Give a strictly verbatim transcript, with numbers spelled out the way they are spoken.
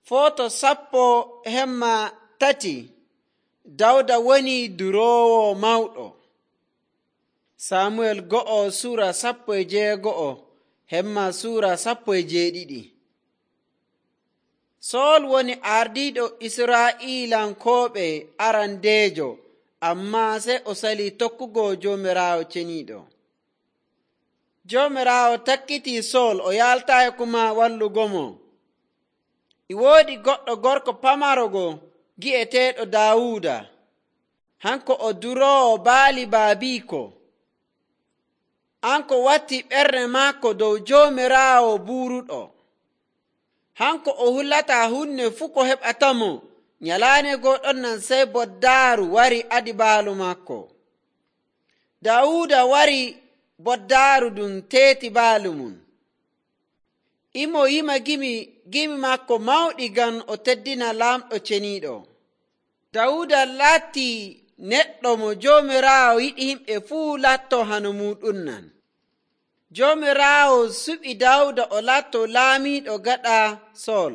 Foto sappo hemma tati. Dawda woni duroowo mawɗo. Samuel go'o sura sappo e jeego'o hemma sura sappo e jeeɗiɗi. Sool woni ardiiɗo Israa'iilankooɓe arandeejo, ammaa sey o salii tokkugo Joomiraawo ceniiɗo. Joomiraawo takkitii Sool o yaltaayi kuma wallugomo. E woodi goɗɗo gorko pamarogo gi'eteeɗo Daawuda. Hanko o duroowo baali baabiiko. Hanko watti ɓernde maako dow Joomiraawo buuruɗo. Hanko o hullataa hunde fuu ko heɓatamo. Nyalaande gooɗon nan sey boddaaru wari adi baalu maako. Daawuda wari boddaaru ɗum teeti baalu mum. Imo yima gimi gimi maako mawɗi ngam o teddina laamɗo ceniiɗo. Daawuda laati neɗɗo mo Joomiraawo yiɗi himɓe fuu latto hano muɗum nan. Joomiraawo suɓi Daawuda o latto laamiiɗo gaɗa Sool.